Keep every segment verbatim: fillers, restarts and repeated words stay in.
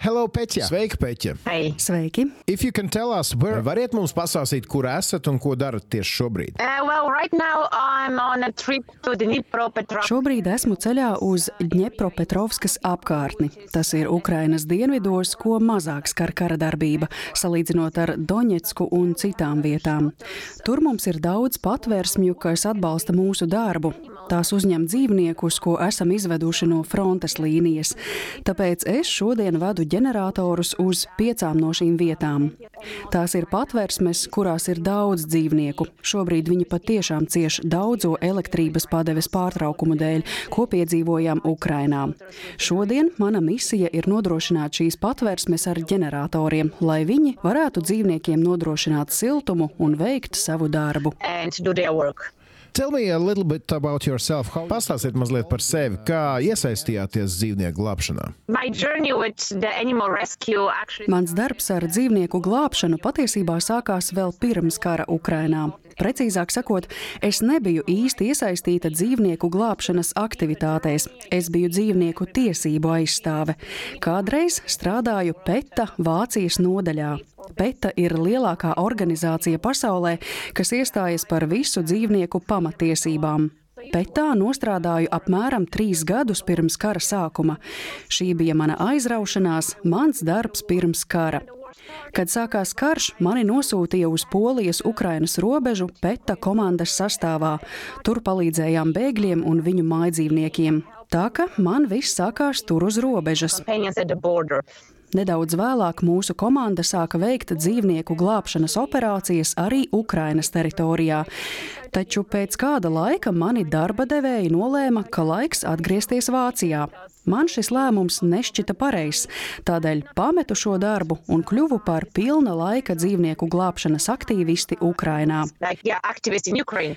Hello, Peķa! Sveika, Peķa! Hei! Sveiki! If you can tell us, where, variet mums pastāstīt, kur esat un ko darat tieši šobrīd? Uh, well, right now I'm on a trip to Dnipropetrovsk. Šobrīd esmu ceļā uz Dņepropetrovskas apkārtni. Tas ir Ukrainas dienvidos, ko mazāk skar kara darbība, salīdzinot ar Doņetsku un citām vietām. Tur mums ir daudz patvērsmju, kas atbalsta mūsu darbu. Tās uzņem dzīvniekus, ko esam izveduši no frontes līnijas. Tāpēc es šodien vadu ģeneratorus uz piecām no šīm vietām. Tās ir patvērsmes, kurās ir daudz dzīvnieku. Šobrīd viņi patiešām cieš daudzo elektrības padeves pārtraukumu dēļ, ko piedzīvojām Ukrainā. Šodien mana misija ir nodrošināt šīs patvērsmes ar ģeneratoriem, lai viņi varētu dzīvniekiem nodrošināt siltumu un veikt savu darbu. Tell me a little bit about yourself. Pastāstiet mazliet par sevi, kā iesaistījāties dzīvnieku glābšanā. Actually... Mans darbs ar dzīvnieku glābšanu patiesībā sākās vēl pirms kara Ukrainā. Precīzāk sakot, es nebiju īsti iesaistīta dzīvnieku glābšanas aktivitātēs. Es biju dzīvnieku tiesību aizstāve. Kādreiz strādāju PETA Vācijas nodaļā. PETA ir lielākā organizācija pasaulē, kas iestājas par visu dzīvnieku pamatiesībām. PETA nostrādāju apmēram trīs gadus pirms kara sākuma. Šī bija mana aizraušanās, mans darbs pirms kara. Kad sākās karš, mani nosūtīja uz Polijas-Ukrainas robežu PETA komandas sastāvā. Tur palīdzējām bēgļiem un viņu mājdzīvniekiem. Tā ka man viss sākās tur uz robežas. Nedaudz vēlāk mūsu komanda sāka veikt dzīvnieku glābšanas operācijas arī Ukrainas teritorijā. Taču pēc kāda laika mani darba devēji nolēma, ka laiks atgriezties Vācijā. Man šis lēmums nešķita pareizs, tādēļ pametu šo darbu un kļuvu par pilna laika dzīvnieku glābšanas aktīvisti Ukrainā. Like, yeah,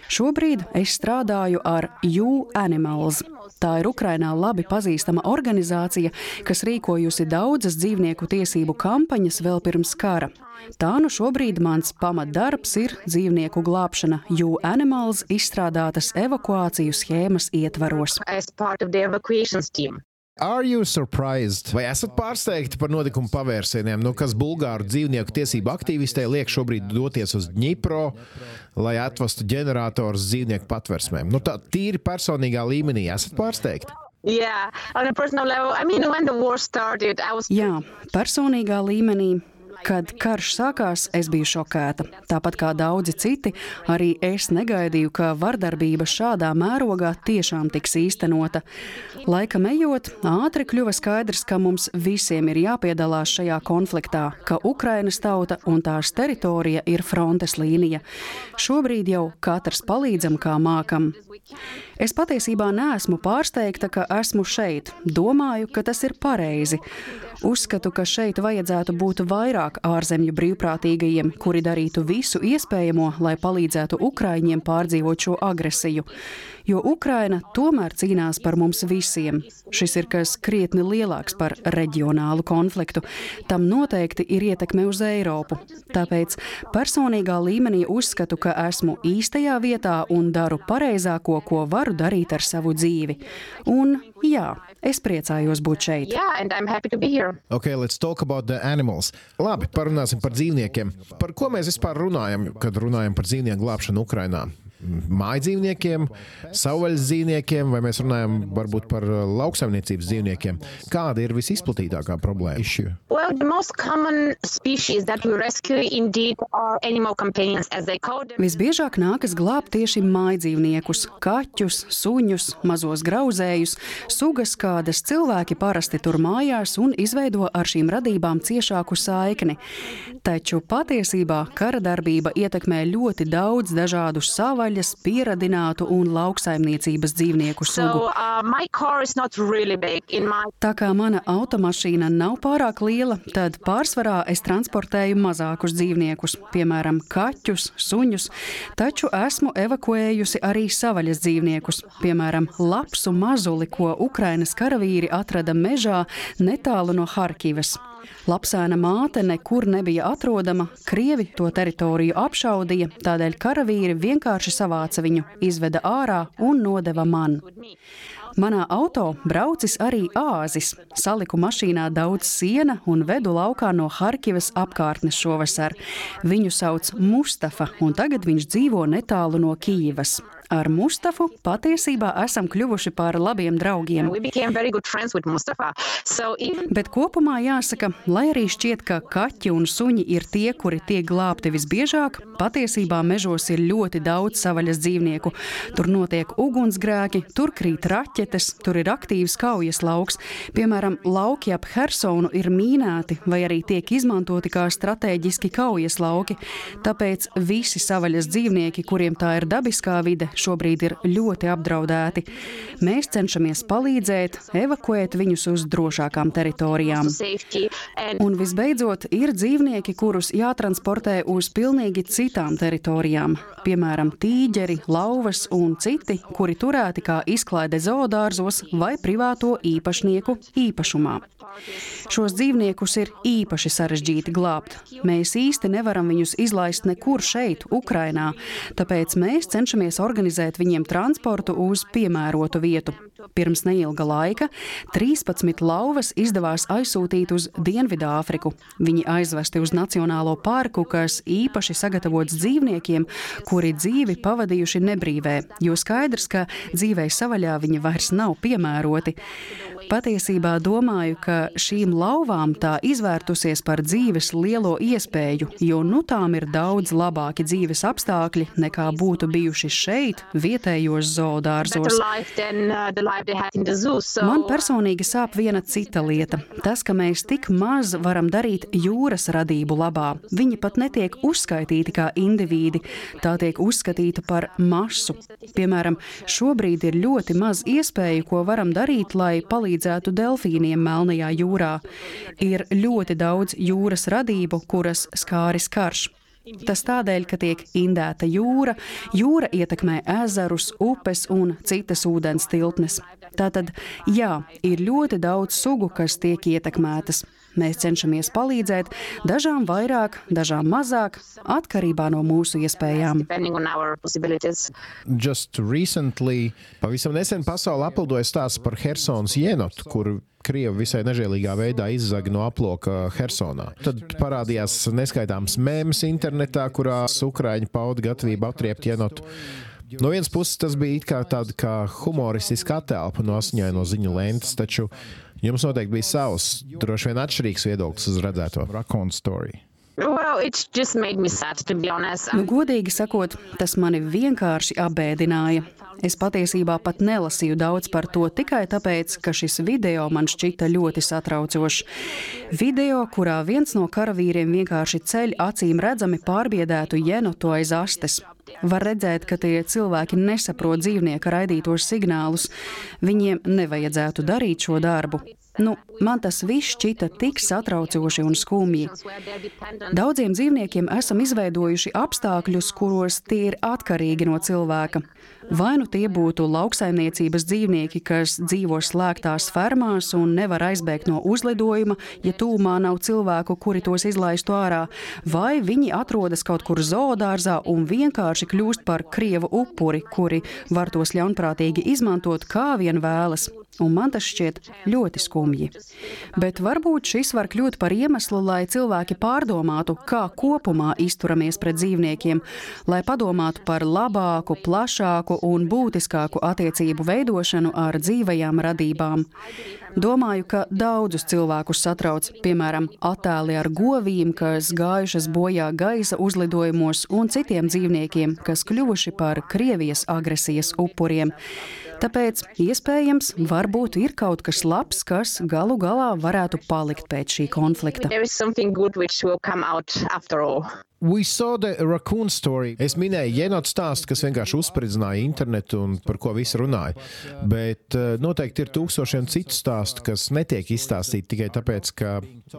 Šobrīd es strādāju ar U Animals. Tā ir Ukrainā labi pazīstama organizācija, kas rīkojusi daudzas dzīvnieku tiesību kampaņas vēl pirms kara. Tā nu šobrīd mans pamatdarbs ir dzīvnieku glābšana U Animals izstrādātas evakuāciju schēmas ietvaros. Are you surprised? Vai esat pārsteigti par notikumu pavērsieniem, nu, kas bulgāru dzīvnieku tiesību aktīvistē liek šobrīd doties uz Dņipro, lai atvestu ģenerators dzīvnieku patversmēm? Nu, tā tīri personīgā līmenī esat pārsteigti? Yeah, on a personal level, I mean, when the war started, I was... Jā, personīgā līmenī. Kad karš sākās, es biju šokēta. Tāpat kā daudzi citi, arī es negaidīju, ka vardarbība šādā mērogā tiešām tiks īstenota. Laikam ejot, ātri kļuva skaidrs, ka mums visiem ir jāpiedalās šajā konfliktā, ka Ukrainas tauta un tās teritorija ir frontes līnija. Šobrīd jau katrs palīdzam, kā mākam. Es patiesībā neesmu pārsteigta, ka esmu šeit. Domāju, ka tas ir pareizi. Uzskatu, ka šeit vajadzētu būt vairāk ārzemju brīvprātīgajiem, kuri darītu visu iespējamo, lai palīdzētu ukraiņiem pārdzīvot šo agresiju. Jo Ukraina tomēr cīnās par mums visiem. Šis ir kas krietni lielāks par reģionālu konfliktu. Tam noteikti ir ietekme uz Eiropu. Tāpēc personīgā līmenī uzskatu, ka esmu īstajā vietā un daru pareizāko, ko varu darīt ar savu dzīvi. Un jā, es priecājos būt šeit. Yeah, and I'm happy to be here. Okay, let's talk about the animals. Labi, parunāsim par dzīvniekiem. Par ko mēs vispār runājam, kad runājam par dzīvnieku glābšanu Ukrainā? Mājdzīvniekiem, savvaļas dzīvniekiem, vai mēs runājam varbūt par lauksaimniecības dzīvniekiem? Kāda ir visizplatītākā problēma? Well, the most common species that we rescue indeed are animal companions, as they call them. Visbiežāk nākas glābt tieši mājdzīvniekus, kaķus, suņus, mazos grauzējus, sugas, kādas cilvēki parasti tur mājās un izveido ar šīm radībām ciešāku saikni. Taču patiesībā kara darbība ietekmē ļoti daudz dažādu savvaļas, pieradinātu un lauksaimniecības dzīvnieku sugu. So, uh, my car is not really big in my... Tā kā mana automašīna nav pārāk liela, tad pārsvarā es transportēju mazākus dzīvniekus, piemēram, kaķus, suņus, taču esmu evakuējusi arī savvaļas dzīvniekus, piemēram, lapsu mazuli, ko Ukrainas karavīri atrada mežā netālu no Harkivas. Lapsēna māte nekur nebija atrodama, krievi to teritoriju apšaudīja, tādēļ karavīri vienkārši savāca viņu, izveda ārā un nodeva man. Manā auto braucis arī āzis. Saliku mašīnā daudz siena un vedu laukā no Harkivas apkārtnes šovasar. Viņu sauc Mustafa, un tagad viņš dzīvo netālu no Kijivas. Ar Mustafu patiesībā esam kļuvuši par labiem draugiem. So even... Bet kopumā jāsaka, lai arī šķiet, ka kaķi un suņi ir tie, kuri tiek glābti visbiežāk, patiesībā mežos ir ļoti daudz savaļas dzīvnieku. Tur notiek ugunsgrēki, tur krīt raķetes, tur ir aktīvs kaujas lauks. Piemēram, lauki ap Hersonu ir mīnēti vai arī tiek izmantoti kā stratēģiski kaujas lauki. Tāpēc visi savaļas dzīvnieki, kuriem tā ir dabiskā vide, šobrīd ir ļoti apdraudēti. Mēs cenšamies palīdzēt, evakuēt viņus uz drošākām teritorijām. Un visbeidzot, ir dzīvnieki, kurus jātransportē uz pilnīgi citām teritorijām. Piemēram, tīģeri, lauvas un citi, kuri turēti kā izklaide zoodārzos vai privāto īpašnieku īpašumā. Šos dzīvniekus ir īpaši sarežģīti glābt. Mēs īsti nevaram viņus izlaist nekur šeit, Ukrainā, tāpēc mēs cenšamies organizēt viņiem transportu uz piemērotu vietu. Pirms neilga laika trīspadsmit lauvas izdevās aizsūtīt uz Dienvidāfriku. Viņi aizvesti uz Nacionālo parku, kas īpaši sagatavots dzīvniekiem, kuri dzīvi pavadījuši nebrīvē, jo skaidrs, ka dzīvei savaļā viņi vairs nav piemēroti. Patiesībā domāju, ka šīm lauvām tā izvērtusies par dzīves lielo iespēju, jo nu tām ir daudz labāki dzīves apstākļi, nekā būtu bijuši šeit, vietējos zoodārzos. Man personīgi sāp viena cita lieta. Tas, ka mēs tik maz varam darīt jūras radību labā. Viņi pat netiek uzskaitīti kā indivīdi, tā tiek uzskatīta par masu. Piemēram, šobrīd ir ļoti maz iespēju, ko varam darīt, lai palīdzētu delfīniem Melnajā jūrā. Ir ļoti daudz jūras radību, kuras skāris karš. Tas tādēļ, ka tiek indēta jūra, jūra ietekmē ezerus, upes un citas ūdens tiltnes. Tātad, jā, ir ļoti daudz sugu, kas tiek ietekmētas. Mēs cenšamies palīdzēt, dažām vairāk, dažām mazāk, atkarībā no mūsu iespējām. Just recently, pavisam nesen pasauli apildoja stāsts par Hersonas jenotu, kur Krievi visai nežēlīgā veidā izzaga no aploka Hersonā. Tad parādījās neskaitāms mēms internetā, kurās ukraiņi pauda gatavību atriept jenotu. No vienas puses tas bija it kā tāda kā humoristiska attēlpa no asiņaino ziņu lentes, taču jums noteikti bija savs, droši vien atšķirīgs viedoklis uz redzēto. Raccoon story. Well, it's just made me sad, to be honest. Nu, godīgi sakot, tas mani vienkārši apbēdināja. Es patiesībā pat nelasīju daudz par to tikai tāpēc, ka šis video man šķita ļoti satraucošs. Video, kurā viens no karavīriem vienkārši ceļ acīm redzami pārbiedētu jenotu aiz astes. Var redzēt, ka tie cilvēki nesaprot dzīvnieka raidītos signālus. Viņiem nevajadzētu darīt šo darbu. Nu, man tas viss šķita tik satraucoši un skumji. Daudziem dzīvniekiem esam izveidojuši apstākļus, kuros tie ir atkarīgi no cilvēka. Vai nu tie būtu lauksaimniecības dzīvnieki, kas dzīvo slēgtās fermās un nevar aizbēgt no uzlidojuma, ja tūmā nav cilvēku, kuri tos izlaistu ārā, vai viņi atrodas kaut kur zoodārzā un vienkārši kļūst par krievu upuri, kuri var tos ļaunprātīgi izmantot kā vien vēlas. Un man tas šķiet ļoti skumji. Bet varbūt šis var kļūt par iemeslu, lai cilvēki pārdomātu, kā kopumā izturamies pret dzīvniekiem, lai padomātu par labāku, plašāku un būtiskāku attiecību veidošanu ar dzīvajām radībām. Domāju, ka daudzus cilvēkus satrauc, piemēram, attēli ar govīm, kas gājušas bojā gaisa uzlidojumos un citiem dzīvniekiem, kas kļuvuši par Krievijas agresijas upuriem. Tāpēc, iespējams, varbūt ir kaut kas labs, kas galu galā varētu palikt pēc šī konflikta. We saw the raccoon story. Es minēju jenotu stāstu, kas vienkārši uzspridzināja internetu un par ko visi runāja. Bet noteikti ir tūkstošiem citu stāstu, kas netiek izstāstīti tikai tāpēc, ka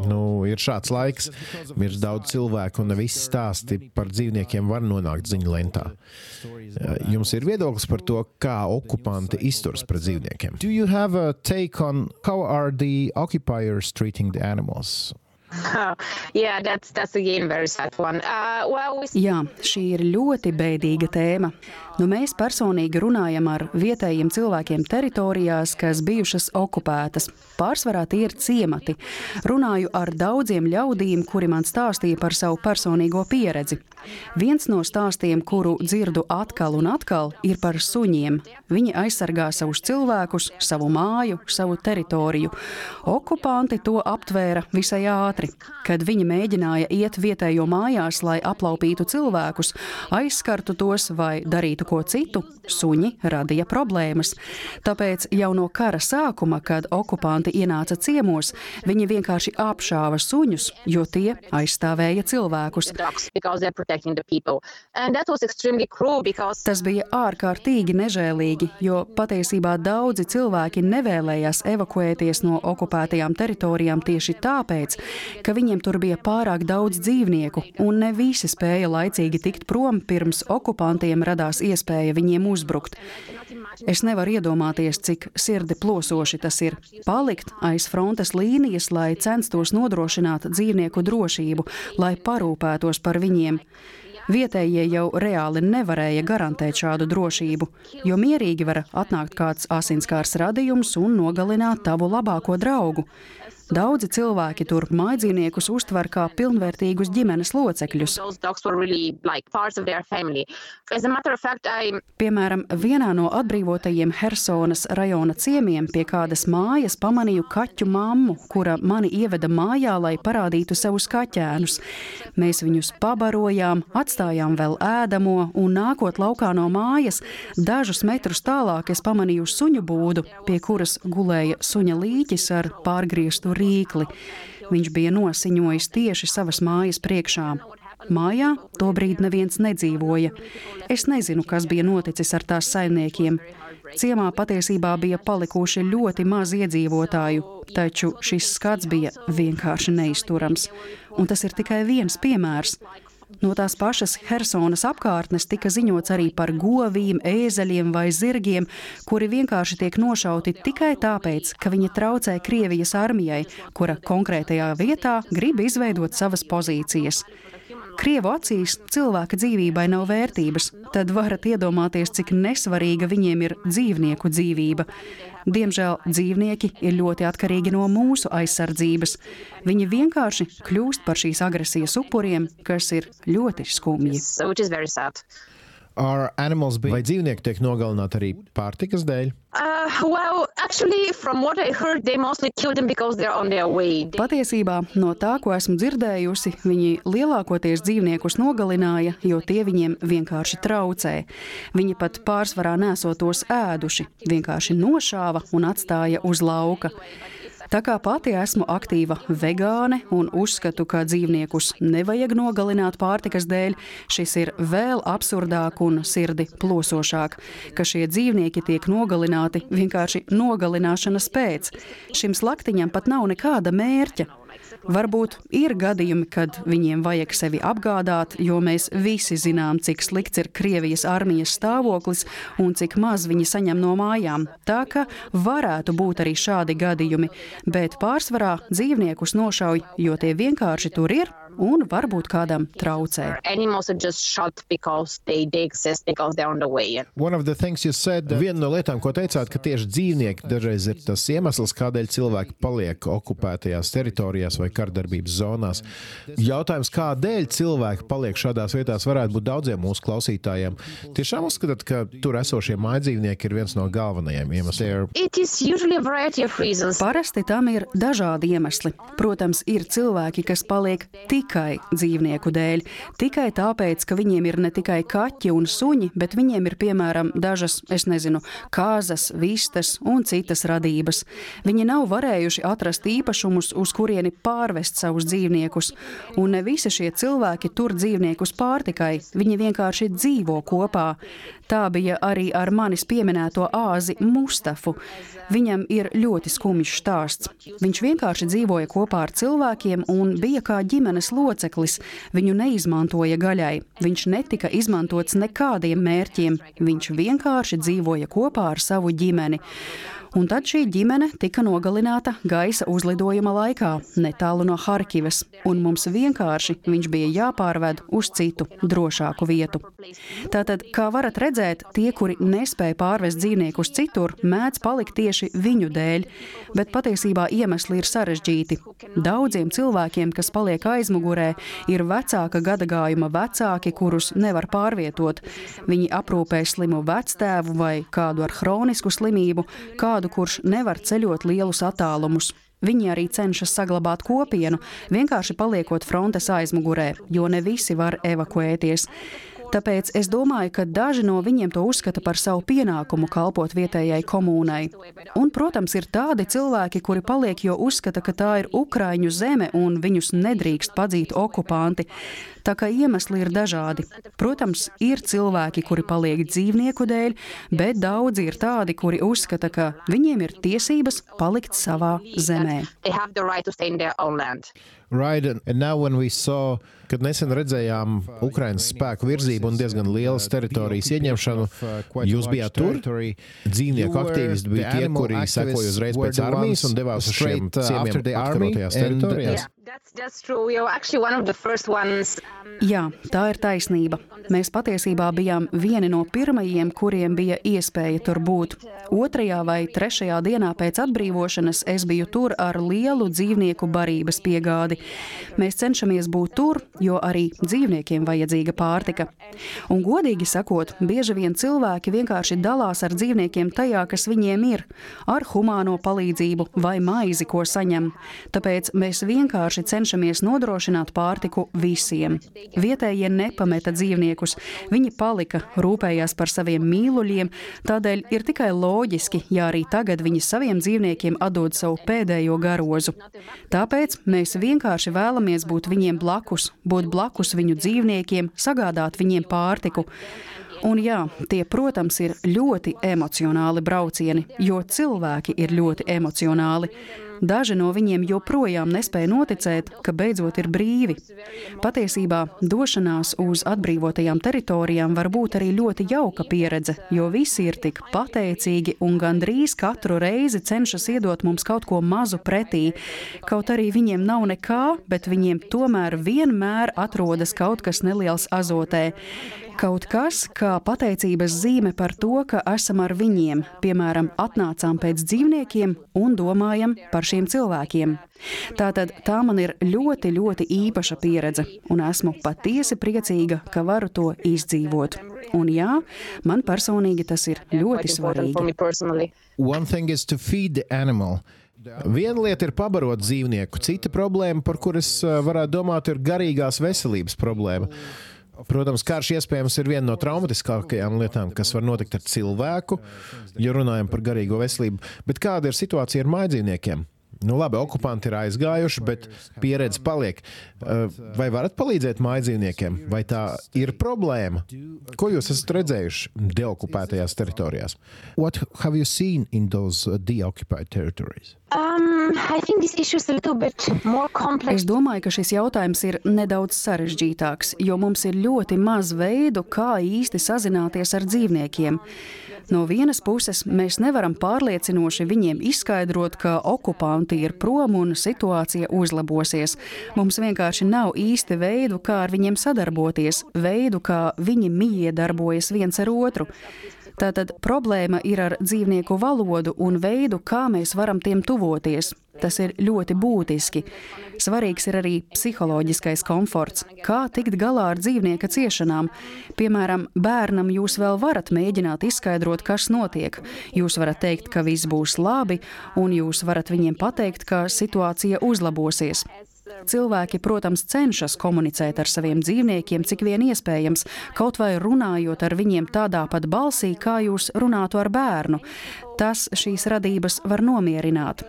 nu, ir šāds laiks, ir daudz cilvēku un ne visi stāsti par dzīvniekiem var nonākt ziņu lentā. Jums ir viedoklis par to, kā okupanti izturas pret dzīvniekiem? Do you have a take on how are the occupiers treating the animals? Oh, yeah, that's, that's again very sad one. Uh, well, we... Jā, šī ir ļoti bēdīga tēma. Nu, mēs personīgi runājam ar vietējiem cilvēkiem teritorijās, kas bijušas okupētas. Pārsvarā tie ir ciemati. Runāju ar daudziem ļaudīm, kuri man stāstīja par savu personīgo pieredzi. Viens no stāstiem, kuru dzirdu atkal un atkal, ir par suņiem. Viņi aizsargā savus cilvēkus, savu māju, savu teritoriju. Okupanti to aptvēra visai ātri. Kad viņi mēģināja iet vietējo mājās, lai aplaupītu cilvēkus, aizskartu tos vai darītu ko citu, suņi radīja problēmas. Tāpēc jau no kara sākuma, kad okupanti ienāca ciemos, viņi vienkārši apšāva suņus, jo tie aizstāvēja cilvēkus. Tas bija ārkārtīgi nežēlīgi, jo patiesībā daudzi cilvēki nevēlējās evakuēties no okupētajām teritorijām tieši tāpēc, ka viņiem tur bija pārāk daudz dzīvnieku, un ne visi spēja laicīgi tikt prom, pirms okupantiem radās iespēja viņiem uzbrukt. Es nevaru iedomāties, cik sirdi plosoši tas ir palikt aiz frontes līnijas, lai censtos nodrošināt dzīvnieku drošību, lai parūpētos par viņiem. Vietējie jau reāli nevarēja garantēt šādu drošību, jo mierīgi var atnākt kāds asinskārs radījums un nogalināt tavu labāko draugu. Daudzi cilvēki tur mājdzīvniekus uztver kā pilnvērtīgus ģimenes locekļus. Piemēram, vienā no atbrīvotajiem Hersonas rajona ciemiem pie kādas mājas pamanīju kaķu mammu, kura mani ieveda mājā, lai parādītu savus kaķēnus. Mēs viņus pabarojām, atstājām vēl ēdamo, un nākot laukā no mājas, dažus metrus tālāk es pamanīju suņu būdu, pie kuras gulēja suņa līķis ar pārgrieztu rīkli. Viņš bija nosiņojis tieši savas mājas priekšā. Mājā tobrīd neviens nedzīvoja. Es nezinu, kas bija noticis ar tās saimniekiem. Ciemā patiesībā bija palikuši ļoti maz iedzīvotāju, taču šis skats bija vienkārši neizturams. Un tas ir tikai viens piemērs. No tās pašas Hersonas apkārtnes tika ziņots arī par govīm, ēzeļiem vai zirgiem, kuri vienkārši tiek nošauti tikai tāpēc, ka viņi traucē Krievijas armijai, kura konkrētajā vietā grib izveidot savas pozīcijas. Krievu acīs cilvēka dzīvībai nav vērtības, tad varat iedomāties, cik nesvarīga viņiem ir dzīvnieku dzīvība. Diemžēl dzīvnieki ir ļoti atkarīgi no mūsu aizsardzības. Viņi vienkārši kļūst par šīs agresijas upuriem, kas ir ļoti skumji. Vai dzīvnieki tiek nogalināti arī pārtikas dēļ? Uh, well, actually, from what I heard, they mostly kill them because they're on their way. Patiesībā, no tā, ko esmu dzirdējusi, viņi lielākoties dzīvniekus nogalināja, jo tie viņiem vienkārši traucē. Viņi pat pārsvarā nesot tos ēduši, vienkārši nošāva un atstāja uz lauka. Tā kā pati esmu aktīva vegāne un uzskatu, ka dzīvniekus nevajag nogalināt pārtikas dēļ, šis ir vēl absurdāk un sirdi plosošāk, ka šie dzīvnieki tiek nogalināti vienkārši nogalināšanas pēc. Šim slaktiņam pat nav nekāda mērķa. Varbūt ir gadījumi, kad viņiem vajag sevi apgādāt, jo mēs visi zinām, cik slikts ir Krievijas armijas stāvoklis un cik maz viņi saņem no mājām. Tā ka varētu būt arī šādi gadījumi, bet pārsvarā dzīvniekus nošauj, jo tie vienkārši tur ir un varbūt kādam traucē. Viena no lietām, ko teicāt, ka tieši dzīvnieki dažreiz ir tas iemesls, kādēļ cilvēki paliek okupētajās teritorijās vai kardarbības zonās. Jautājums, kādēļ cilvēki paliek šādās vietās, varētu būt daudziem mūsu klausītājiem. Tiešām uzskatāt, ka tur esošie mājdzīvnieki ir viens no galvenajiem iemesliem? Parasti tam ir dažādi iemesli. Protams, ir cilvēki, kas paliek tikai dzīvnieku dēļ, tikai tāpēc, ka viņiem ir ne tikai kaķi un suņi, bet viņiem ir, piemēram, dažas, es nezinu, kāzas, vistas un citas radības. Viņi nav varējuši atrast īpašumus, uz kurieni pārvest savus dzīvniekus, un ne visi šie cilvēki tur dzīvniekus pārtikai, viņi vienkārši dzīvo kopā. Tā bija arī ar manis pieminēto āzi Mustafu. Viņam ir ļoti skumjš stāsts. Viņš vienkārši dzīvoja kopā ar cilvēkiem un bija kā ģimenes loceklis. Viņu neizmantoja gaļai. Viņš netika izmantots nekādiem mērķiem. Viņš vienkārši dzīvoja kopā ar savu ģimeni. Un tad šī ģimene tika nogalināta gaisa uzlidojuma laikā, netālu no Harkivas, un mums vienkārši viņš bija jāpārved uz citu, drošāku vietu. Tātad, kā varat redzēt, tie, kuri nespēja pārvest dzīvniekus citur, mēdz palikt tieši viņu dēļ, bet patiesībā iemesli ir sarežģīti. Daudziem cilvēkiem, kas paliek aizmugurē, ir vecāka gadagājuma vecāki, kurus nevar pārvietot. Viņi aprūpē slimu vectēvu vai kādu ar hronisku slimību, kādu, kurš nevar ceļot lielus attālumus. Viņi arī cenšas saglabāt kopienu, vienkārši paliekot frontes aizmugurē, jo ne visi var evakuēties. Tāpēc es domāju, ka daži no viņiem to uzskata par savu pienākumu kalpot vietējai komūnai. Un, protams, ir tādi cilvēki, kuri paliek, jo uzskata, ka tā ir Ukraiņu zeme un viņus nedrīkst padzīt okupanti. Tā kā iemesli ir dažādi. Protams, ir cilvēki, kuri paliek dzīvnieku dēļ, bet daudzi ir tādi, kuri uzskata, ka viņiem ir tiesības palikt savā zemē. Right, and now when we saw, kad nesen redzējām Ukrainas spēku virzību un diezgan lielas teritorijas ieņemšanu, jūs bijāt tur? Dzīvnieku aktīvisti bija tie, kuri sekoja uzreiz pēc armijas un devās uz šiem ciemiem atkarotajās teritorijās? Jā, tā ir taisnība. Mēs patiesībā bijām vieni no pirmajiem, kuriem bija iespēja tur būt. Otrajā vai trešajā dienā pēc atbrīvošanas es biju tur ar lielu dzīvnieku barības piegādi. Mēs cenšamies būt tur, jo arī dzīvniekiem vajadzīga pārtika. Un godīgi sakot, bieži vien cilvēki vienkārši dalās ar dzīvniekiem tajā, kas viņiem ir, ar humāno palīdzību vai maizi, ko saņem. Tāpēc mēs vienkārši cenšamies nodrošināt pārtiku visiem. Vietējie nepameta dzīvniekus, viņi palika, rūpējās par saviem mīluļiem, tādēļ ir tikai loģiski, ja arī tagad viņi saviem dzīvniekiem atdod savu pēdējo garozu. Tāpēc mēs vienkārši vēlamies būt viņiem blakus, būt blakus viņu dzīvniekiem, sagādāt viņiem pārtiku. Un jā, tie, protams, ir ļoti emocionāli braucieni, jo cilvēki ir ļoti emocionāli. Daži no viņiem joprojām nespēja noticēt, ka beidzot ir brīvi. Patiesībā došanās uz atbrīvotajām teritorijām var būt arī ļoti jauka pieredze, jo visi ir tik pateicīgi un gandrīz katru reizi cenšas iedot mums kaut ko mazu pretī. Kaut arī viņiem nav nekā, bet viņiem tomēr vienmēr atrodas kaut kas neliels azotē. Kaut kas, kā pateicības zīme par to, ka esam ar viņiem, piemēram, atnācām pēc dzīvniekiem un domājam par šiem cilvēkiem. Tātad tā man ir ļoti, ļoti īpaša pieredze, un esmu patiesi priecīga, ka varu to izdzīvot. Un jā, man personīgi tas ir ļoti svarīgi. One thing is to feed the animal. Viena lieta ir pabarot dzīvnieku, cita problēma, par kuras varētu domāt, ir garīgās veselības problēma. Protams, karš iespējams ir viena no traumatiskākajām lietām, kas var notikt ar cilvēku, ja runājam par garīgo veselību. Bet kāda ir situācija ar mājdzīvniekiem? Nu labi, okupanti ir aizgājuši, bet pieredze paliek. Vai varat palīdzēt mājdzīvniekiem? Vai tā ir problēma? Ko jūs esat redzējuši deokupētajās teritorijās? What have you seen in those deoccupied territories? Um, I think this issue is a little bit more complex. Es domāju, ka šis jautājums ir nedaudz sarežģītāks, jo mums ir ļoti maz veidu, kā īsti sazināties ar dzīvniekiem. No vienas puses, mēs nevaram pārliecinoši viņiem izskaidrot, ka okupanti ir prom un situācija uzlabosies. Mums vienkārši nav īsti veidu, kā ar viņiem sadarboties, veidu, kā viņi miedarbojas viens ar otru. Tātad problēma ir ar dzīvnieku valodu un veidu, kā mēs varam tiem tuvoties. Tas ir ļoti būtiski. Svarīgs ir arī psiholoģiskais komforts, kā tikt galā ar dzīvnieka ciešanām. Piemēram, bērnam jūs vēl varat mēģināt izskaidrot, kas notiek. Jūs varat teikt, ka viss būs labi, un jūs varat viņiem pateikt, ka situācija uzlabosies. Cilvēki, protams, cenšas komunicēt ar saviem dzīvniekiem, cik vien iespējams, kaut vai runājot ar viņiem tādā pat balsī, kā jūs runātu ar bērnu. Tas šīs radības var nomierināt.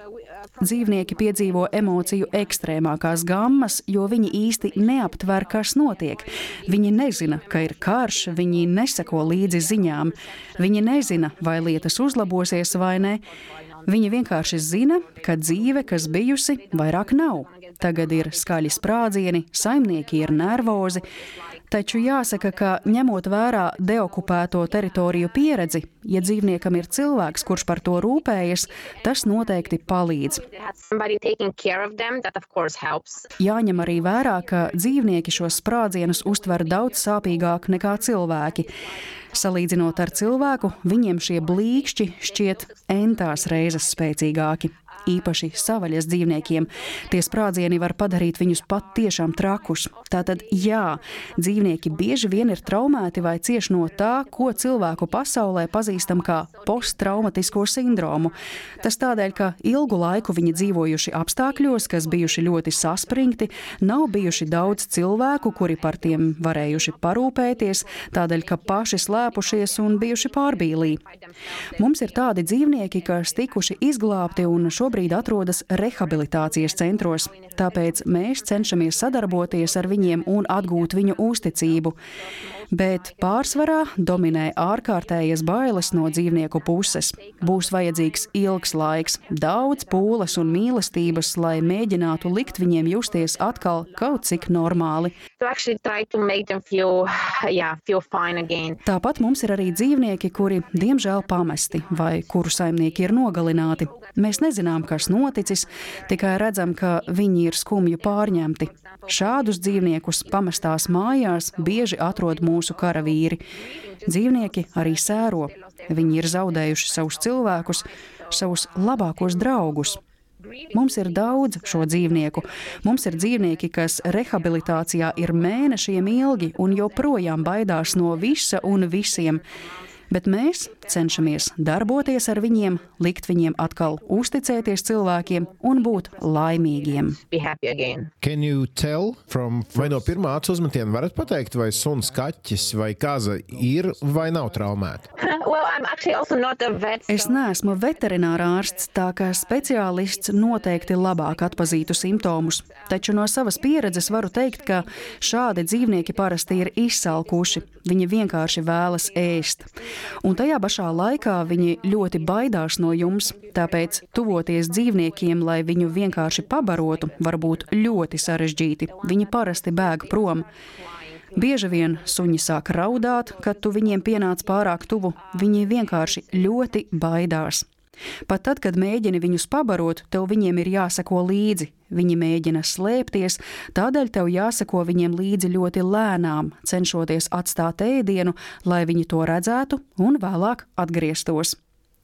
Dzīvnieki piedzīvo emociju ekstrēmākās gammas, jo viņi īsti neaptver, kas notiek. Viņi nezina, ka ir karš, viņi neseko līdzi ziņām. Viņi nezina, vai lietas uzlabosies vai ne. Viņi vienkārši zina, ka dzīve, kas bijusi, vairāk nav. Tagad ir skaļi sprādzieni, saimnieki ir nervozi. Taču jāsaka, ka ņemot vērā deokupēto teritoriju pieredzi, Ja dzīvniekam ir cilvēks, kurš par to rūpējas, tas noteikti palīdz. Jāņem arī vērā, ka dzīvnieki šos sprādzienus uztver daudz sāpīgāk nekā cilvēki. Salīdzinot ar cilvēku, viņiem šie blīkšķi šķiet entās reizes spēcīgāki. Īpaši savaļas dzīvniekiem. Tie sprādzieni var padarīt viņus pat tiešām trakus. Tātad, jā, dzīvnieki bieži vien ir traumēti vai cieš no tā, ko cilvēku pasaulē pazīstam kā posttraumatisko sindromu. Tas tādēļ, ka ilgu laiku viņi dzīvojuši apstākļos, kas bijuši ļoti saspringti, nav bijuši daudz cilvēku, kuri par tiem varējuši parūpēties, tādēļ, ka paši slēpušies un bijuši pārbīlī. Mums ir tādi dzīvnieki, kas tikuši izglābti un šobrīd Šobrīd atrodas rehabilitācijas centros, tāpēc mēs cenšamies sadarboties ar viņiem un atgūt viņu uzticību. Bet pārsvarā dominē ārkārtējas bailes no dzīvnieku puses. Būs vajadzīgs ilgs laiks, daudz pūles un mīlestības, lai mēģinātu likt viņiem justies atkal kaut cik normāli. Feel, yeah, feel Tāpat mums ir arī dzīvnieki, kuri diemžēl pamesti vai kuru saimnieki ir nogalināti. Mēs nezinām, kas noticis, tikai redzam, ka viņi ir skumju pārņemti. Šādus dzīvniekus pamestās mājās bieži atrod mūsu karavīri. Dzīvnieki arī sēro. Viņi ir zaudējuši savus cilvēkus, savus labākos draugus. Mums ir daudz šo dzīvnieku. Mums ir dzīvnieki, kas rehabilitācijā ir mēnešiem ilgi un joprojām baidās no visa un visiem. Bet mēs cenšamies darboties ar viņiem, likt viņiem atkal uzticēties cilvēkiem un būt laimīgiem. Can you tell from, vai no pirmā acu uzmetiena varat pateikt, vai suns, kaķis vai kaza ir vai nav traumēti? Well, I'm actually also not a vet. So... Es neesmu veterinārā ārsts, tā kā speciālists noteikti labāk atpazītu simptomus. Taču no savas pieredzes varu teikt, ka šādi dzīvnieki parasti ir izsalkuši. Viņi vienkārši vēlas ēst. Un tajā pašā laikā viņi ļoti baidās no jums, tāpēc tuvoties dzīvniekiem, lai viņu vienkārši pabarotu, var būt ļoti sarežģīti. Viņi parasti bēg prom. Bieži vien suņi sāk raudāt, kad tu viņiem pienāc pārāk tuvu. Viņi vienkārši ļoti baidās. Pat tad, kad mēģini viņus pabarot, tev viņiem ir jāseko līdzi. Viņi mēģina slēpties, tādēļ tev jāseko viņiem līdzi ļoti lēnām, cenšoties atstāt ēdienu, lai viņi to redzētu un vēlāk atgrieztos.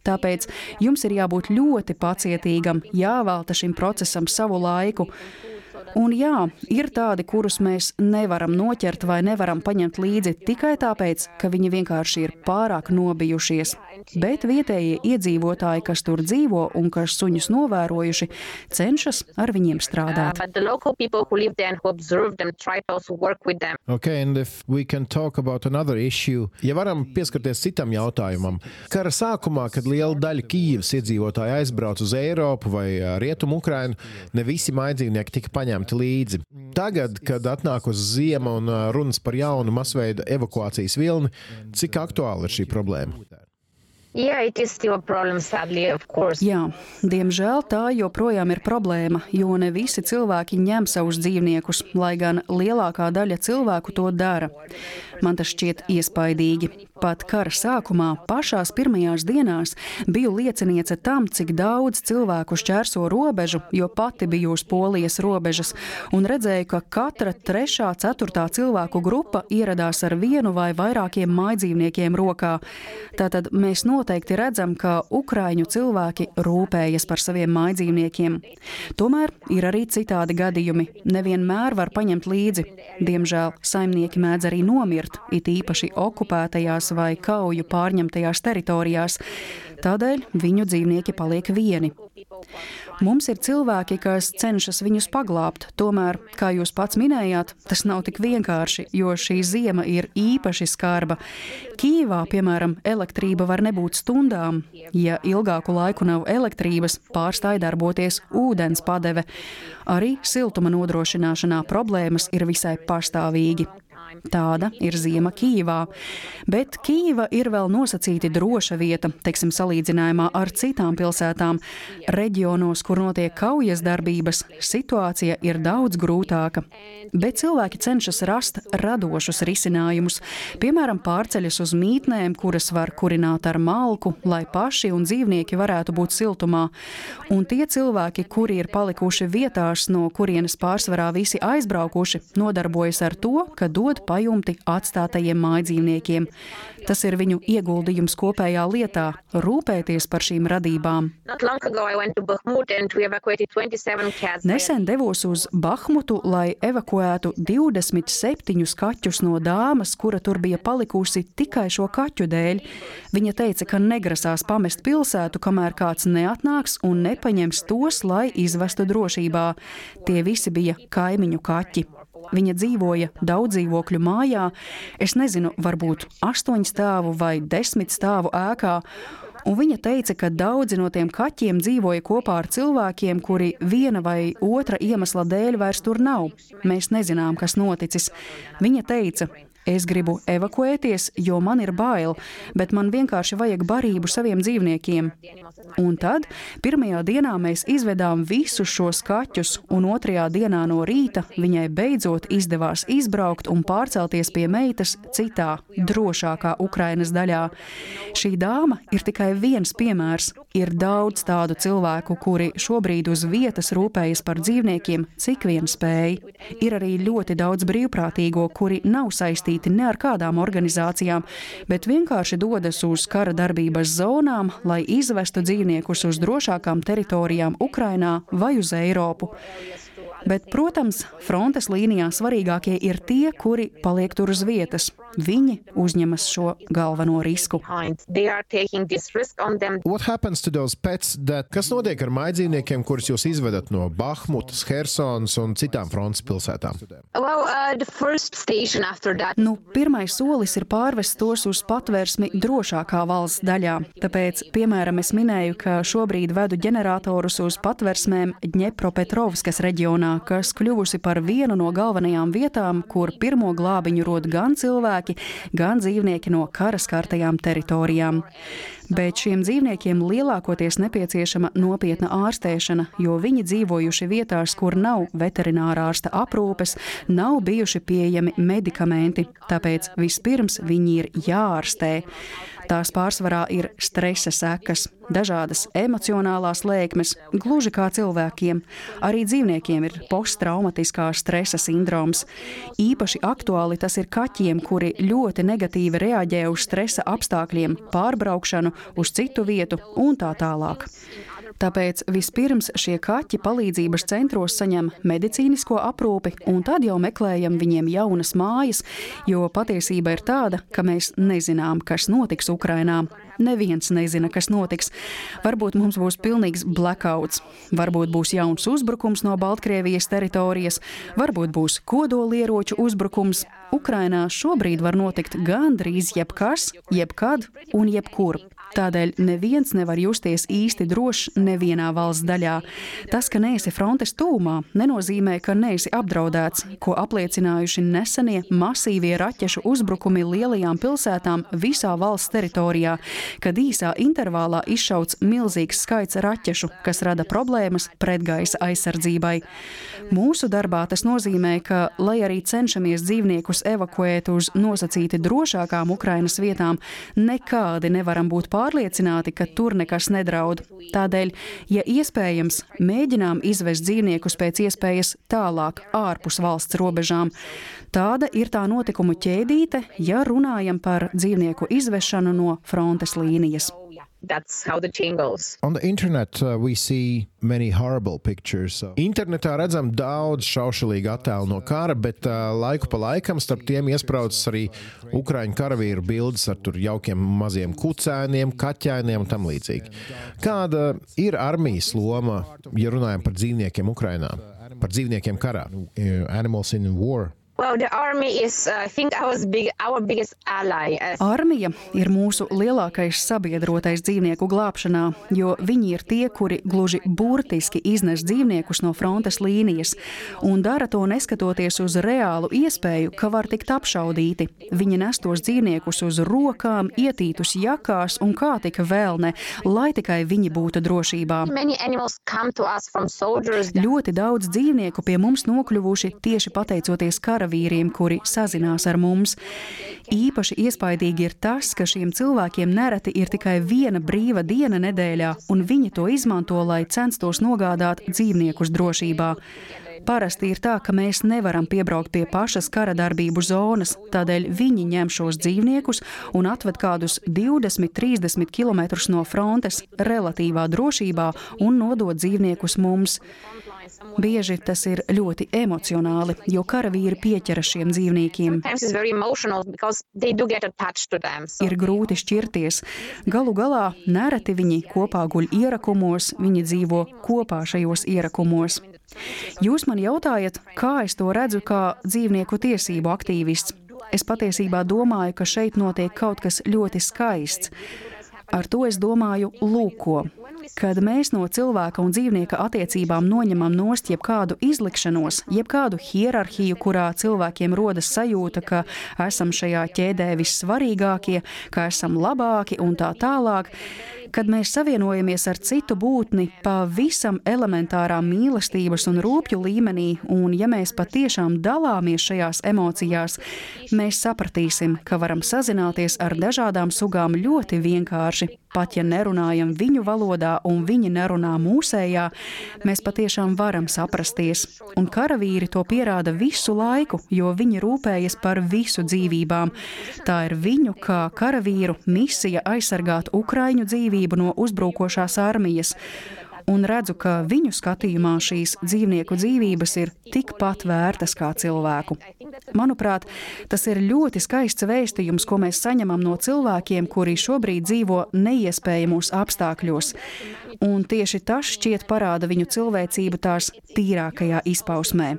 Tāpēc jums ir jābūt ļoti pacietīgam, jāvelta šim procesam savu laiku. Un jā, ir tādi, kurus mēs nevaram noķert vai nevaram paņemt līdzi tikai tāpēc, ka viņi vienkārši ir pārāk nobijušies. Bet vietējie iedzīvotāji, kas tur dzīvo un kas suņus novērojuši, cenšas ar viņiem strādāt. Okay, and if we can talk about another issue, ja varam pieskarties citam jautājumam. Kara sākumā, kad liela daļa Kijivas iedzīvotāji aizbrauc uz Eiropu vai Rietumu Ukrainu, ne visi mājdzīvnieki tika paņemti līdzi. Tagad, kad atnāk uz ziema un runas par jaunu masveida evakuācijas vilni, cik aktuāla ir šī problēma? Yeah, it is still a problem, sadly, of course. Jā, diemžēl tā joprojām ir problēma, jo ne visi cilvēki ņem savus dzīvniekus, lai gan lielākā daļa cilvēku to dara. Man tas šķiet iespaidīgi. Pat kara sākumā, pašās pirmajās dienās, biju lieciniece tam, cik daudz cilvēku šķērso robežu, jo pati biju uz Polijas robežas, un redzēju, ka katra trešā, ceturtā cilvēku grupa ieradās ar vienu vai vairākiem mājdzīvniekiem rokā. Tātad mēs noteikti redzam, ka ukraiņu cilvēki rūpējas par saviem mājdzīvniekiem. Tomēr ir arī citādi gadījumi. Nevienmēr var paņemt līdzi. Diemžēl saimnieki mēdz arī nomirt, it īpaši okupētajās vai kauju pārņemtajās teritorijās. Tādēļ viņu dzīvnieki paliek vieni. Mums ir cilvēki, kas cenšas viņus paglābt, tomēr, kā jūs pats minējāt, tas nav tik vienkārši, jo šī ziema ir īpaši skarba. Kijivā, piemēram, elektrība var nebūt stundām. Ja ilgāku laiku nav elektrības, pārstāj darboties ūdens padeve. Arī siltuma nodrošināšanā problēmas ir visai pastāvīgi. Tāda ir ziema Kijivā. Bet Kijiva ir vēl nosacīti droša vieta, teiksim, salīdzinājumā ar citām pilsētām. Reģionos, kur notiek kaujas darbības, situācija ir daudz grūtāka. Bet cilvēki cenšas rast radošus risinājumus. Piemēram, pārceļas uz mītnēm, kuras var kurināt ar malku, lai paši un dzīvnieki varētu būt siltumā. Un tie cilvēki, kuri ir palikuši vietās, no kurienes pārsvarā visi aizbraukuši, nodarbojas ar to, ka dod pajumti atstātajiem mājdzīvniekiem. Tas ir viņu ieguldījums kopējā lietā – rūpēties par šīm radībām. Nesen devos uz Bahmutu, lai evakuētu divdesmit septiņus kaķus no dāmas, kura tur bija palikusi tikai šo kaķu dēļ. Viņa teica, ka negrasās pamest pilsētu, kamēr kāds neatnāks un nepaņems tos, lai izvestu drošībā. Tie visi bija kaimiņu kaķi. Viņa dzīvoja daudzdzīvokļu mājā, es nezinu, varbūt astoņu stāvu vai desmit stāvu ēkā, un viņa teica, ka daudzi no tiem kaķiem dzīvoja kopā ar cilvēkiem, kuri viena vai otra iemesla dēļ vairs tur nav. Mēs nezinām, kas noticis. Viņa teica: es gribu evakuēties, jo man ir bail, bet man vienkārši vajag barību saviem dzīvniekiem. Un tad pirmajā dienā mēs izvedām visus šos kaķus, un otrajā dienā no rīta viņai beidzot izdevās izbraukt un pārcelties pie meitas citā, drošākā Ukrainas daļā. Šī dāma ir tikai viens piemērs. Ir daudz tādu cilvēku, kuri šobrīd uz vietas rūpējas par dzīvniekiem, cik vien spēj. Ir arī ļoti daudz brīvprātīgo, kuri nav saistīti ne ar kādām organizācijām, bet vienkārši dodas uz kara darbības zonām, lai izvestu dzīvniekus uz drošākām teritorijām Ukrainā vai uz Eiropu. Bet, protams, frontes līnijā svarīgākie ir tie, kuri paliek tur uz vietas. Viņi uzņemas šo galveno risku. What happens to those pets that... Kas notiek ar mājdzīvniekiem, kurus jūs izvedat no Bahmutas, Hersonas un citām frontes pilsētām? Well, uh, the first station after that. Nu, pirmais solis ir pārvest tos uz patvērsmi drošākā valsts daļā. Tāpēc, piemēram, es minēju, ka šobrīd vedu ģeneratorus uz patversmēm Dņepropetrovskas reģionā, kas kļuvusi par vienu no galvenajām vietām, kur pirmo glābiņu rod gan cilvēki, gan dzīvnieki no kara skartajām teritorijām. Bet šiem dzīvniekiem lielākoties nepieciešama nopietna ārstēšana, jo viņi dzīvojuši vietās, kur nav veterinārārsta aprūpes, nav bijuši pieejami medikamenti, tāpēc vispirms viņi ir jāārstē. Tās pārsvarā ir stresa sekas, dažādas emocionālās lēkmes, gluži kā cilvēkiem. Arī dzīvniekiem ir posttraumatiskā stresa sindroms. Īpaši aktuāli tas ir kaķiem, kuri ļoti negatīvi reaģē uz stresa apstākļiem, pārbraukšanu uz citu vietu un tā tālāk. Tāpēc vispirms šie kaķi palīdzības centros saņem medicīnisko aprūpi, un tad jau meklējam viņiem jaunas mājas, jo patiesība ir tāda, ka mēs nezinām, kas notiks Ukrainā. Neviens nezina, kas notiks. Varbūt mums būs pilnīgs blackouts, varbūt būs jauns uzbrukums no Baltkrievijas teritorijas, varbūt būs kodolieroču uzbrukums. Ukrainā šobrīd var notikt gandrīz jebkas, jebkad un jebkur. Tādēļ neviens nevar justies īsti drošs nevienā valsts daļā. Tas, ka neesi frontes tūmā, nenozīmē, ka neesi apdraudēts, ko apliecinājuši nesenie masīvie raķešu uzbrukumi lielajām pilsētām visā valsts teritorijā, kad īsā intervālā izšauts milzīgs skaits raķešu, kas rada problēmas pretgaisa aizsardzībai. Mūsu darbā tas nozīmē, ka, lai arī cenšamies dzīvniekus evakuēt uz nosacīti drošākām Ukrainas vietām, nekādi nevaram būt pārliecināti, ka tur nekas nedraud. Tādēļ, ja iespējams, mēģinām izvest dzīvniekus pēc iespējas tālāk, ārpus valsts robežām. Tāda ir tā notikumu ķēdīte, ja runājam par dzīvnieku izvešanu no frontes līnijas. That's how the chain goes. On the internet uh, we see many horrible pictures. So. Internetā redzam daudz šaušalīgu attēlu no kara, bet uh, laiku pa laikam starp tiem iespraucas arī ukraiņu karavīru bildes ar tur jaukiem maziem kucēniem, kaķēniem un tam līdzīgi. Kāda ir armijas loma, ja runājam par dzīvniekiem Ukrainā, par dzīvniekiem karā? Animals in war. Well, Well, the army is, uh, I think, our, big, our biggest ally. Armija ir mūsu lielākais sabiedrotais dzīvnieku glābšanā, jo viņi ir tie, kuri gluži burtiski iznes dzīvniekus no frontes līnijas un dara to neskatoties uz reālu iespēju, ka var tikt apšaudīti. Viņi nes tos dzīvniekus uz rokām, ietītus jakās un kā tik vēl ne, lai tikai viņi būtu drošībā. Ļoti daudz dzīvnieku pie mums nokļuvuši tieši pateicoties karavīriem, kuri sazinās ar mums. Īpaši iespaidīgi ir tas, ka šiem cilvēkiem nereti ir tikai viena brīva diena nedēļā, un viņi to izmanto, lai censtos nogādāt dzīvniekus drošībā. Parasti ir tā, ka mēs nevaram piebraukt pie pašas kara darbību zonas, tādēļ viņi ņem šos dzīvniekus un atved kādus divdesmit trīsdesmit kilometrus no frontes relatīvā drošībā un nodod dzīvniekus mums. Bieži tas ir ļoti emocionāli, jo karavīri pieķeras šiem dzīvniekiem. Ir grūti šķirties. Galu galā nereti viņi kopā guļ ierakumos, viņi dzīvo kopā šajos ierakumos. Jūs man jautājat, kā es to redzu kā dzīvnieku tiesību aktīvists. Es patiesībā domāju, ka šeit notiek kaut kas ļoti skaists. Ar to es domāju lūko. Kad mēs no cilvēka un dzīvnieka attiecībām noņemam nost jebkādu izlikšanos, jebkādu hierarhiju, kurā cilvēkiem rodas sajūta, ka esam šajā ķēdē vissvarīgākie, ka esam labāki un tā tālāk, kad mēs savienojamies ar citu būtni pavisam elementārā mīlestības un rūpju līmenī, un ja mēs patiešām dalāmies šajās emocijās, mēs sapratīsim, ka varam sazināties ar dažādām sugām ļoti vienkārši. Pat ja nerunājam viņu valodā un viņi nerunā mūsējā, mēs patiešām varam saprasties. Un karavīri to pierāda visu laiku, jo viņi rūpējas par visu dzīvībām. Tā ir viņu kā karavīru misija aizsargāt ukraiņu dzīvību no uzbrukošās armijas. Un redzu, ka viņu skatījumā šīs dzīvnieku dzīvības ir tikpat vērtas kā cilvēku. Manuprāt, tas ir ļoti skaists vēstījums, ko mēs saņemam no cilvēkiem, kuri šobrīd dzīvo neiespējamos apstākļos. Un tieši tas šķiet parāda viņu cilvēcību tās tīrākajā izpausmē.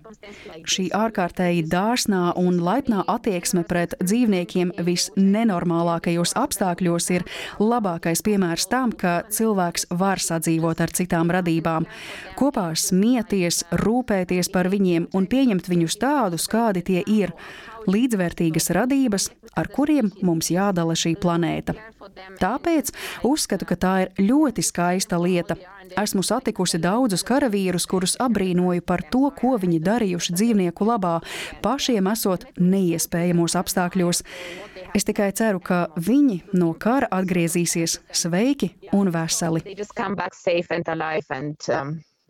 Šī ārkārtēji dāsnā un laipnā attieksme pret dzīvniekiem visnenormālākajos apstākļos ir labākais piemērs tam, ka cilvēks var sadzīvot ar citām radībām, kopā smieties, rūpēties par viņiem un pieņemt viņus tādus, kādi tie ir, līdzvērtīgas radības, ar kuriem mums jādala šī planēta. Tāpēc uzskatu, ka tā ir ļoti skaista lieta. Esmu satikusi daudzus karavīrus, kurus abrīnoju par to, ko viņi darījuši dzīvnieku labā, pašiem esot neiespējamos apstākļos. Es tikai ceru, ka viņi no kara atgriezīsies sveiki un veseli.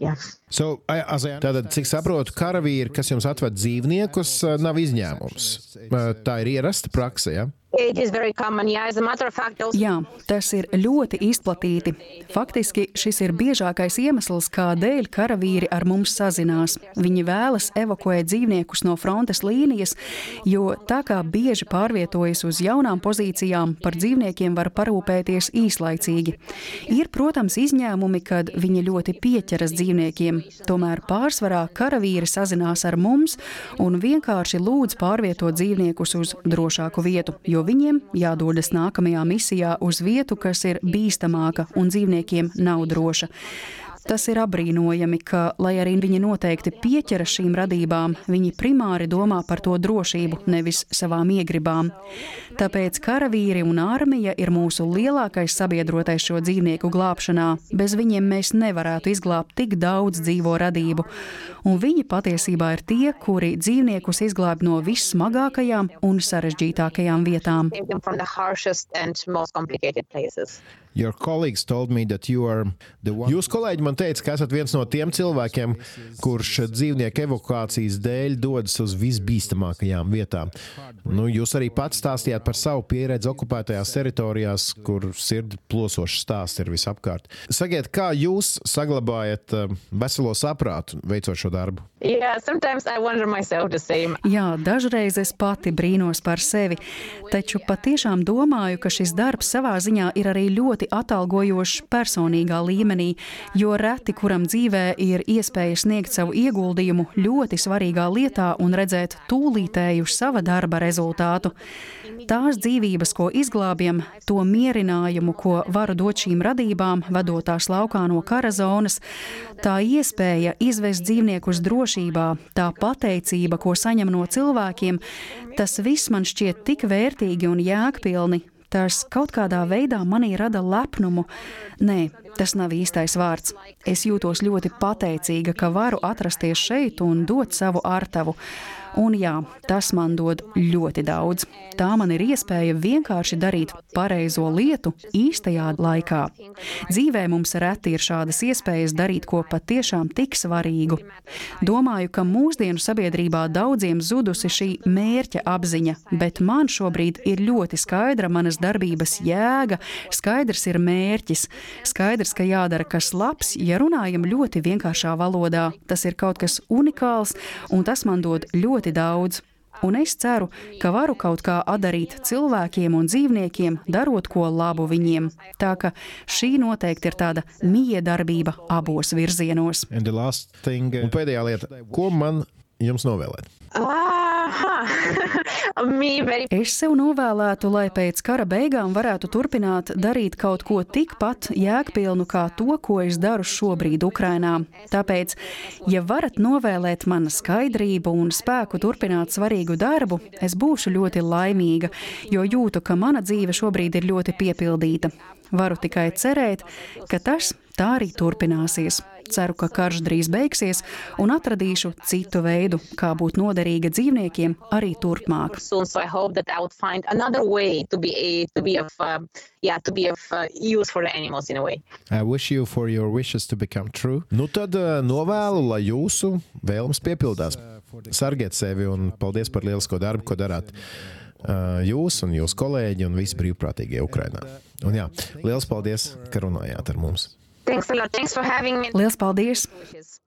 Yeah. So, tātad, cik saprotu, karavīri, kas jums atved dzīvniekus, nav izņēmums. Tā ir ierasta prakse, ja? Fact, Jā, tas ir ļoti izplatīti. Faktiski šis ir biežākais iemesls, kādēļ karavīri ar mums sazinās. Viņi vēlas evakuēt dzīvniekus no frontes līnijas, jo tā kā bieži pārvietojas uz jaunām pozīcijām, par dzīvniekiem var parūpēties īslaicīgi. Ir, protams, izņēmumi, kad viņi ļoti pieķeras dzīvniekiem. Tomēr pārsvarā karavīri sazinās ar mums un vienkārši lūdz pārvietot dzīvniekus uz drošāku vietu, jo viņiem jādodas nākamajā misijā uz vietu, kas ir bīstamāka un dzīvniekiem nav droša. Tas ir apbrīnojami, ka, lai arī viņi noteikti pieķeras šīm radībām, viņi primāri domā par to drošību, nevis savām iegribām. Tāpēc karavīri un armija ir mūsu lielākais sabiedrotais šo dzīvnieku glābšanā. Bez viņiem mēs nevarētu izglābt tik daudz dzīvo radību. Un viņi patiesībā ir tie, kuri dzīvniekus izglāb no vissmagākajām un sarežģītākajām vietām. Your colleagues told me that you are the one... Jūs kolēģi man teica, ka esat viens no tiem cilvēkiem, kurš dzīvnieku evakuācijas dēļ dodas uz visbīstamākajām vietām. Nu, jūs arī pats stāstījāt par savu pieredzi okupētajās teritorijās, kur sirdi plosošs stāsts ir visapkārt. Sakiet, kā jūs saglabājat veselo saprātu, veicot šo darbu? Yeah, sometimes I wonder myself the same. Jā, dažreiz es pati brīnos par sevi, taču patiešām domāju, ka šis darbs savā ziņā ir arī ļoti atalgojošs personīgā līmenī, jo reti, kuram dzīvē ir iespēja sniegt savu ieguldījumu ļoti svarīgā lietā un redzēt tūlītēju sava darba rezultātu. Tās dzīvības, ko izglābjam, to mierinājumu, ko varu dot šīm radībām, vedot tās laukā no kara zonas, tā iespēja izvest dzīvniekus drošībā, tā pateicība, ko saņem no cilvēkiem, tas viss man šķiet tik vērtīgi un jēgpilni. Tas kaut kādā veidā manī rada lepnumu. Nē, tas nav īstais vārds. Es jūtos ļoti pateicīga, ka varu atrasties šeit un dot savu artavu. Un jā, tas man dod ļoti daudz. Tā man ir iespēja vienkārši darīt pareizo lietu īstajā laikā. Dzīvē mums reti ir šādas iespējas darīt ko patiešām tik svarīgu. Domāju, ka mūsdienu sabiedrībā daudziem zudusi šī mērķa apziņa, bet man šobrīd ir ļoti skaidra manas darbības jēga, skaidrs ir mērķis, skaidrs, ka jādara kas labs, ja runājam ļoti vienkāršā valodā. Tas ir kaut kas unikāls, un tas man dod ļoti daudz. Un es ceru, ka varu kaut kā atdarīt cilvēkiem un dzīvniekiem, darot ko labu viņiem. Tā ka šī noteikti ir tāda miedarbība abos virzienos. Thing, un pēdējā lieta, ko man jums novēlēt? Es sev novēlētu, lai pēc kara beigām varētu turpināt darīt kaut ko tikpat jēgpilnu kā to, ko es daru šobrīd Ukrainā. Tāpēc, ja varat novēlēt man skaidrību un spēku turpināt svarīgu darbu, es būšu ļoti laimīga, jo jūtu, ka mana dzīve šobrīd ir ļoti piepildīta. Varu tikai cerēt, ka tas tā arī turpināsies. Ceru, ka karš drīz beigsies un atradīšu citu veidu, kā būt noderīga dzīvniekiem arī turpmāk. So I hope that I would find another way to be to be of uh, yeah to be of uh, use for the animals in a way. I wish you for your wishes to become true. Nu tad uh, novēlu, lai jūsu vēlmes piepildās. Sargiet sevi un paldies par lielisko darbu, ko darāt uh, jūs un jūsu kolēģi un visi brīvprātīgie Ukrainā. Un jā, liels paldies, ka runājāt ar mums. Thanks a lot. Thanks for having me. Liels paldies!